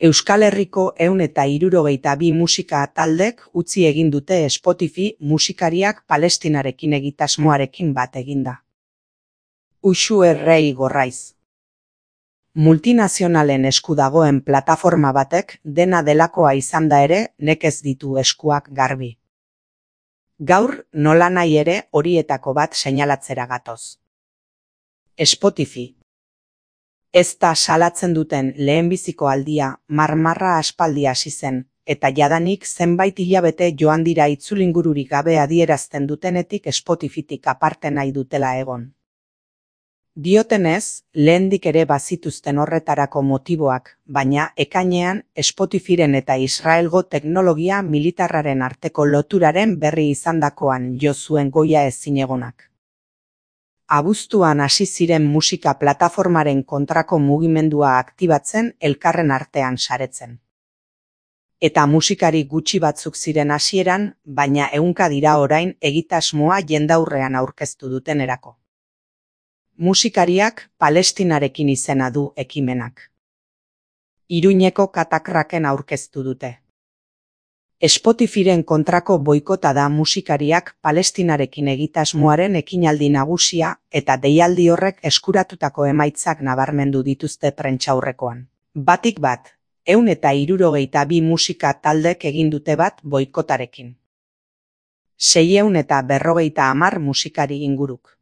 Euskal Herriko 162 musika taldek utzi egin dute Spotify musikariak Palestinarekin egitasmoarekin bat eginda. Uxu Errei Gorraiz. Multinazionalen esku dagoen plataforma batek dena delakoa izanda ere nekez ditu eskuak garbi. Gaur nolanahi ere horietako bat seinalatzera gatoz. Spotify. Ez da salatzen duten lehenbiziko aldia marmarra aspaldi hasi zen, eta jadanik zenbait hilabete joan dira itzulingururik gabe adierazten dutenetik Spotifytik aparte nahi dutela egon. Diotenez, lehendik ere bazituzten horretarako motiboak, baina ekainean Spotifyren eta Israelgo teknologia militarraren arteko loturaren berri izandakoan jo zuen goia ezinegonak. Abuztuan hasi ziren musika plataformaren kontrako mugimendua aktibatzen elkarren artean saretzen. Eta musikari gutxi batzuk ziren hasieran, baina ehunka dira orain egitasmoa jendaurrean aurkeztu dutenerako. Musikariak Palestinarekin izena du ekimenak. Iruñeko katakraken aurkeztu dute. Spotifyren kontrako boikota da musikariak Palestinarekin egitasmoaren ekinaldi nagusia eta deialdi horrek eskuratutako emaitzak nabarmendu dituzte prentsaurrekoan. Batik bat, 162 musika taldek egin dute bat boikotarekin. 650 musikari inguruk.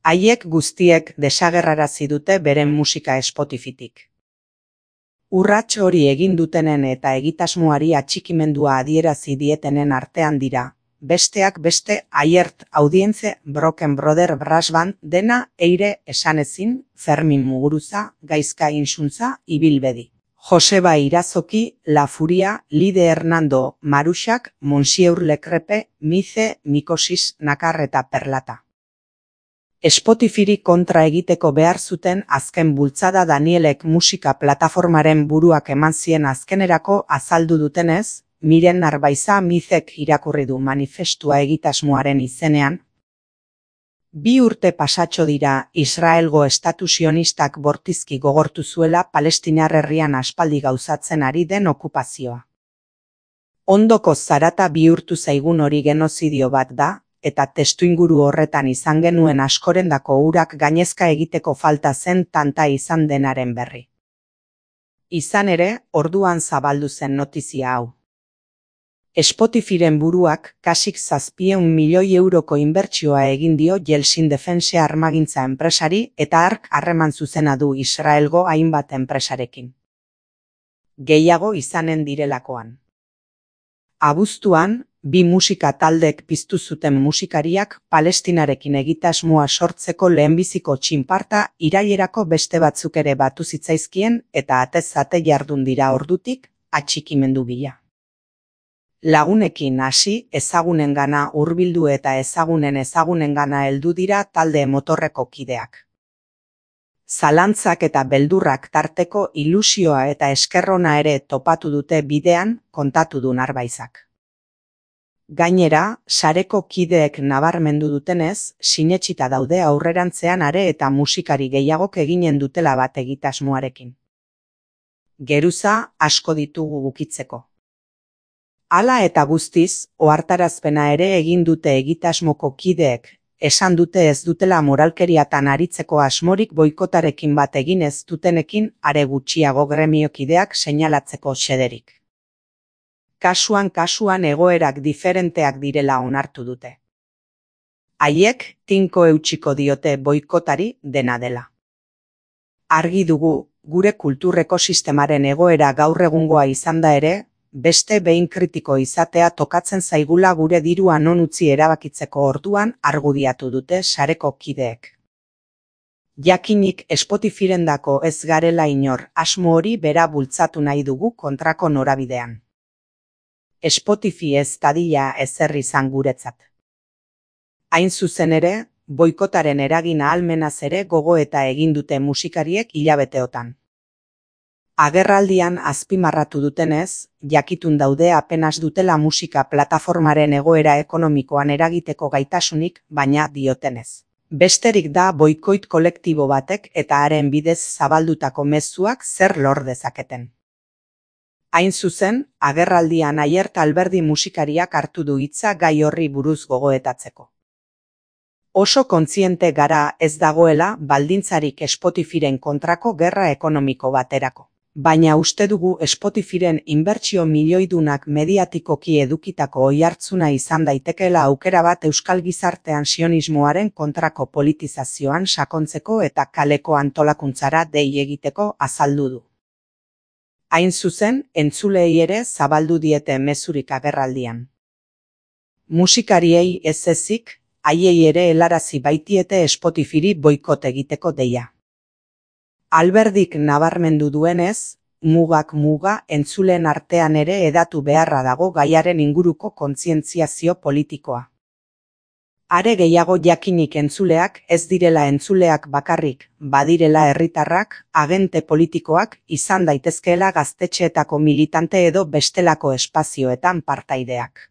Haiek guztiek desagerrarazi dute beren musika Spotifytik. Urrats hori egin dutenen eta egitasmoari atxikimendua adierazi dietenen artean dira, besteak beste Aiert Audience, Broken Brother Brass Band, Dena, Eire, Esanezin, Fermin Muguruza, Gaizka Insuntza, Ibilbedi. Joseba Irazoki, La Furia, Lide Hernando, Maruxak, Monsieur Lecrepe, Mice, Mikosis, Nakar eta Perlata. Spotifyri kontra egiteko behar zuten azken bultzada Danielek musika plataformaren buruak eman zien azkenerako azaldu dutenez, Miren Arbaiza Mizek irakurri du manifestua egitasmoaren izenean. 2 urte pasatxo dira Israelgo estatu sionistak bortizki gogortu zuela Palestinar herrian aspaldi gauzatzen ari den okupazioa. Ondoko zarata bihurtu zaigun hori genozidio bat da, eta testuinguru horretan izan genuen askorendako urak gainezka egiteko falta zen tanta izan denaren berri. Izan ere, orduan zabaldu zen notizia hau. Spotifyren buruak kasik 700 milioi euroko inbertsioa egin dio Yeltsin Defense armagintza enpresari eta hark harreman zuzena du Israelgo hainbat enpresarekin. Gehiago izanen direlakoan. Abuztuan, 2 musika taldek piztu zuten musikariak Palestinarekin egitasmoa sortzeko lehenbiziko txinparta irailerako beste batzuk ere batu zitzaizkien eta atez ate jardun dira ordutik atxikimendu bila. Lagunekin hasi, ezagunengana hurbildu eta ezagunengana heldu dira talde motorreko kideak. Zalantzak eta beldurrak tarteko ilusioa eta eskerrona ere topatu dute bidean, kontatu du Narbaizak. Gainera, sareko kideek nabarmendu dutenez, sinetsita daude aurrerantzean are eta musikari gehiagok eginen dutela bat egitasmoarekin. Geruza asko ditugu bukitzeko. Hala eta guztiz, ohartarazpena ere egin dute egitasmoko kideek, esan dute ez dutela moralkeriatan aritzeko asmorik boikotarekin bat egin ez dutenekin are gutxiago gremiokideak seinalatzeko xederik. Kasuan egoerak diferenteak direla onartu dute. Haiek tinko eutsiko diote boikotari dena dela. Argi dugu, gure kultur ekosistemaren egoera gaur egungoa izanda ere, beste behin kritiko izatea tokatzen zaigula gure dirua non utzi erabakitzeko orduan argudiatu dute sareko kideek. Jakinik Spotifyrendako ez garela inor asmo hori bera bultzatu nahi dugu kontrako norabidean. Spotify ez dadila ezer izan guretzat. Hain zuzen ere, boikotaren eragin ahalmenaz ere gogoeta egin dute musikariek hilabeteotan. Agerraldian azpimarratu dutenez, jakitun daude apenas dutela musika plataformaren egoera ekonomikoan eragiteko gaitasunik, baina diotenez. Besterik da boikoit kolektibo batek eta haren bidez zabaldutako mezuak zer lor dezaketen. Hain zuzen, agerraldian Aiert Alberdi musikariak hartu du hitza gai horri buruz gogoetatzeko. Oso kontziente gara ez dagoela baldintzarik Spotifyren kontrako gerra ekonomiko baterako. Baina uste dugu Spotifyren inbertsio milioidunak mediatikoki edukitako oihartzuna izan daitekeela aukera bat euskal gizartean sionismoaren kontrako politizazioan sakontzeko eta kaleko antolakuntzara dei egiteko azaldu du. Hain zuzen, entzuleei ere zabaldu diete mezurik agerraldian. Musikariei ez ezik, haiei ere helarazi baitiete Spotifyri boikot egiteko deia. Alberdik nabarmendu duenez, mugak muga entzuleen artean ere hedatu beharra dago gaiaren inguruko kontzientziazio politikoa. Are gehiago jakinik entzuleak ez direla entzuleak bakarrik, badirela herritarrak, agente politikoak, izan daitezkeela gaztetxeetako militante edo bestelako espazioetan partaideak.